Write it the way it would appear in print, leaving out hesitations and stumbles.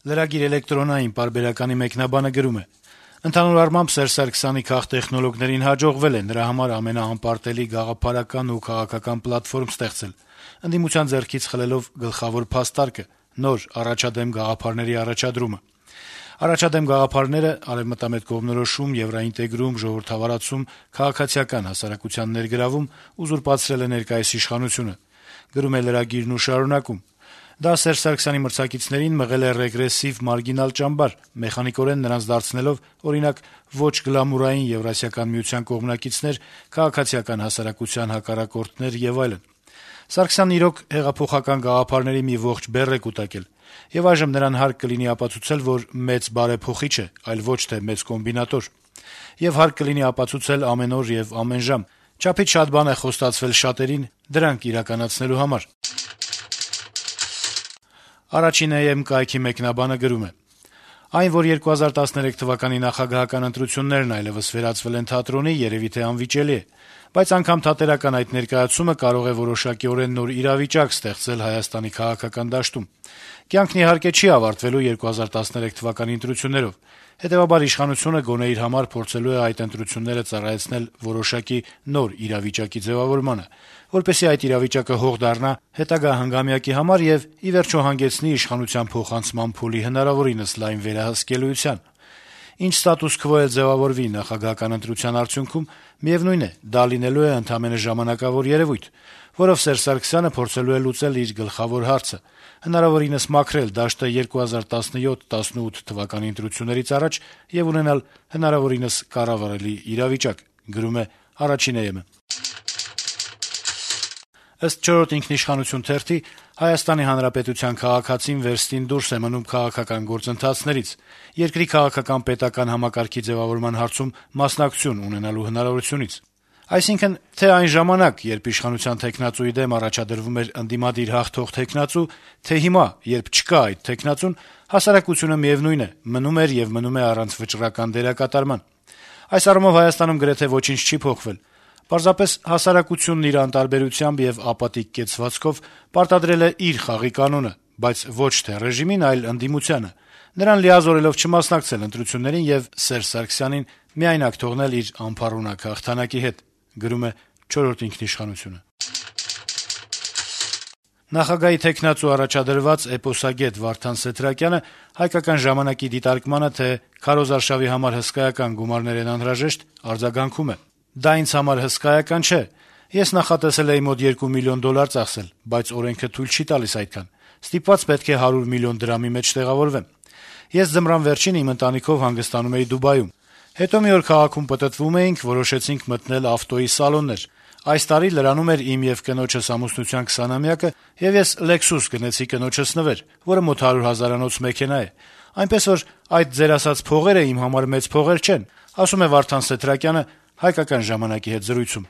Լրագիր էլեկտրոնային պարբերականի մեկնաբանը գրում է. - «Ընդհանուր առմամբ Սերժ Սարգսյանի քաղտեխնոլոգներին հաջողվել է նրա համար ամենաանպարտելի գաղափարական ու քաղաքական պլատֆորմ ստեղծել, ընդդիմության ձեռքից խլելով գլխավոր փաստարկը` նոր առաջադեմ գաղափարների առաջադրումը: Առաջադեմ գաղափարները` արեւմտամետ կողմնորոշում, եվրաինտեգրում, ժողովրդավարացում, քաղաքացիական հասարակության ներգրավում ուզուրպացրել է ներկայիս իշխանությունը: Գրում է լրագիրն ու շարունակում. դա Սերժ Սարգսյանի մրցակիցներին մղել է ռեգրեսիվ, մարգինալ ճամբար, մեխանիկորեն նրանց դարձնելով, օրինակ, ոչ գլամուրային Եվրասիական միության կողմնակիցներ, քաղաքացիական հասարակության հակառակորդներ եւ այլն: Սարգսյանն, իրոք, հեղափոխական գաղափարների մի ողջ բեռ է կուտակել, եւ այժմ նրան հարկ կլինի ապացուցել, որ մեծ բարեփոխիչ է, այլ ոչ թե մեծ կոմբինատոր: Եվ հարկ կլինի ապացուցել ամեն օր եւ ամեն ժամ: Չափից շատ բան է խոստացվել շատերին դրանք իրականացնելու համար»: «Առաջին EM» կայքի մեկնաբանը գրում է. - «Այն, որ 2013 թվականի նախագահական ընտրություններն այլեւս վերածվել են թատրոնի, երեւի թե անվիճելի է: Բայց անգամ թատերական այդ ներկայացումը կարող է որոշակիորեն նոր իրավիճակ ստեղծել Հայաստանի քաղաքական դաշտում: Կյանքն, իհարկե, չի ավարտվելու 2013 թվականի ընտրություններով: Հետեւաբար իշխանությունը գոնե իր համար փորձելու է այդ ընտրությունները ծառայեցնել որոշակի նոր իրավիճակի ձեւավորմանը, որպեսզի այդ իրավիճակը հող դառնա հետագա հանգամյակի համար եւ, ի վերջո, հանգեցնի իշխանության փոխանցման փուլի հնարավորինս լայն վերահսկելիության: Ինչ ստատուս քվո էլ ձեւավորվի նախագահական ընտրության արդյունքում, միեւնույն է, դա լինելու է ընդամենը ժամանակավոր երեւույթ, որով Սերժ Սարգսյանը փորձելու է լուծել իր գլխավոր հարցը` հնարավորինս մաքրել դաշտը 2017-18 թվականի ընտրություններից առաջ եւ ունենալ հնարավորինս կառավարելի իրավիճակ»: Ըստ «Չորրորդ ինքնիշխանություն» թերթի, Հայաստանի Հանրապետության քաղաքացին վերստին դուրս է մնում քաղաքական գործընթացներից, երկրի քաղաքական-պետական համակարգի ձեւավորման հարցում մասնակցություն ունենալու հնարավորությունից: Այսինքն, թե այն ժամանակ, երբ իշխանության թեկնածուի դեմ առաջադրվում էր ընդդիմադիր հաղթող թեկնածու, թե հիմա, երբ չկա այդ թեկնածուն, հասարակությունը, միեւնույն է, մնում էր եւ մնում է առանց վճռական դերակատարման: Այս առումով Հայաստանում գրեթե ոչինչ չի փոխվել: Պարզապես հասարակությունն իր անտարբերությամբ եւ ապատիկ կեցվածքով պարտադրել է իր խաղի կանոնը, բայց ոչ թե ռեժիմին, այլ ընդդիմությանը, նրան լիազորելով չմասնակցել ընտրություններին եւ Սերժ Սարգսյանին միայնակ թողնել իր անփառունակ հաղթանակի հետ: Նախագահի թեկնածու առաջադրված էպոսագետ Վարդան Սեթրակյանը «Հայկական ժամանակ»-ի դիտարկմանը, թե քարոզարշավի համար հսկայական գումարներ են անհրաժեշտ, արձագանքում է. - «Դա ինձ համար հսկայական չէ: Ես նախատեսել էի մոտ $2 միլիոն ծախսել, բայց օրենքը թույլ չի տալիս այդքան: Ստիպված պետք է 100 միլիոն դրամի մեջ տեղավորվեմ: Ես ձմռան վերջին իմ ընտանիքով հանգստանում էի Դուբայում: Հետո մի օր քաղաքում պտտվում էինք, որոշեցինք մտնել ավտոյի սալոններ: Այս տարի լրանում էր իմ եւ կնոջս ամուսնության 20-ամյակը, եւ ես Lexus գնեցի կնոջս նվեր, որը մոտ 100 հազարանոց մեքենա է: Այնպես որ այդ ձեր ասած փողերը իմ համար մեծ փողեր չեն», - ասում է Վարդան Սեթրակյանը «Հայկական ժամանակ»-ի հետ զրույցում: